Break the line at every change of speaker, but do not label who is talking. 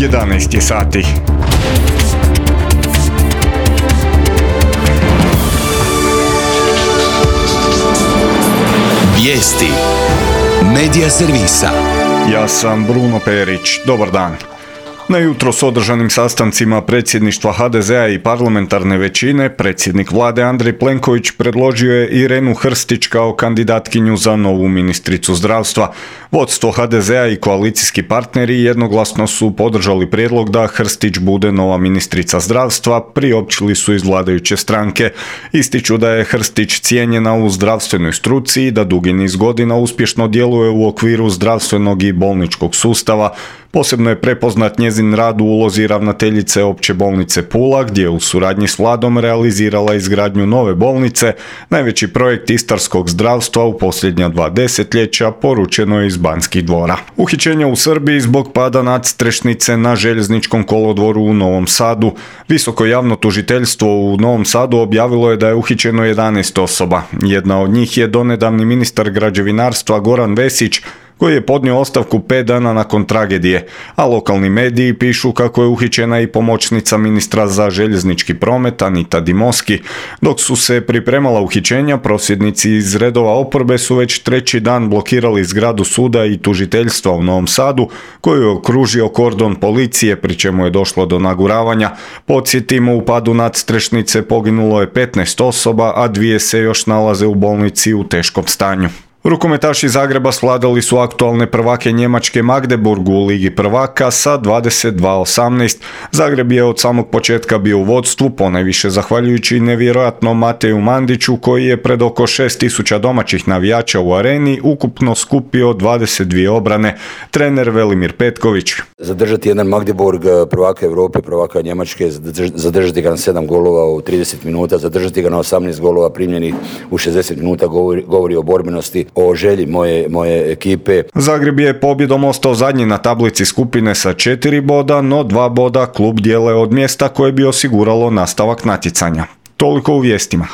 11 je sati.
Vijesti Medija servisa.
Ja sam Bruno Perić. Dobar dan. Na jutros održanim sastancima predsjedništva HDZ-a i parlamentarne većine, predsjednik vlade Andrej Plenković predložio je Irenu Hrstić kao kandidatkinju za novu ministricu zdravstva. Vodstvo HDZ-a i koalicijski partneri jednoglasno su podržali prijedlog da Hrstić bude nova ministrica zdravstva, priopćili su iz vladajuće stranke. Ističu da je Hrstić cijenjena u zdravstvenoj struci i da dugi niz godina uspješno djeluje u okviru zdravstvenog i bolničkog sustava. Posebno je prepoznat njezin rad u ulozi ravnateljice Opće bolnice Pula, gdje je u suradnji s vladom realizirala izgradnju nove bolnice, najveći projekt istarskog zdravstva u posljednja 2 desetljeća, poručeno je iz Banskih dvora. Uhićenja u Srbiji zbog pada nadstrešnice na željezničkom kolodvoru u Novom Sadu. Visoko javno tužiteljstvo u Novom Sadu objavilo je da je uhićeno 11 osoba. Jedna od njih je donedavni ministar građevinarstva Goran Vesić, koji je podnio ostavku 5 dana nakon tragedije, a lokalni mediji pišu kako je uhićena i pomoćnica ministra za željeznički promet Anita Dimoski. Dok su se pripremala uhićenja, prosvjednici iz redova oporbe su već treći dan blokirali zgradu suda i tužiteljstva u Novom Sadu, koju je okružio kordon policije, pri čemu je došlo do naguravanja. Podsjetimo, u padu nadstrešnice poginulo je 15 osoba, a 2 se još nalaze u bolnici u teškom stanju. Rukometaši Zagreba svladali su aktualne prvake Njemačke Magdeburg u Ligi prvaka sa 22-18. Zagreb je od samog početka bio u vodstvu, ponajviše zahvaljujući nevjerojatnom Mateju Mandiću, koji je pred oko 6.000 domaćih navijača u areni ukupno skupio 22 obrane. Trener Velimir Petković.
Zadržati jedan Magdeburg, prvaka Europe, prvaka Njemačke, zadržati ga na 7 golova u 30 minuta, zadržati ga na 18 golova primljenih u 60 minuta govori o borbenosti, o želji moje ekipe.
Zagreb je pobjedom ostao zadnji na tablici skupine sa 4 boda, no 2 boda klub dijele od mjesta koje bi osiguralo nastavak natjecanja. Toliko u vijestima.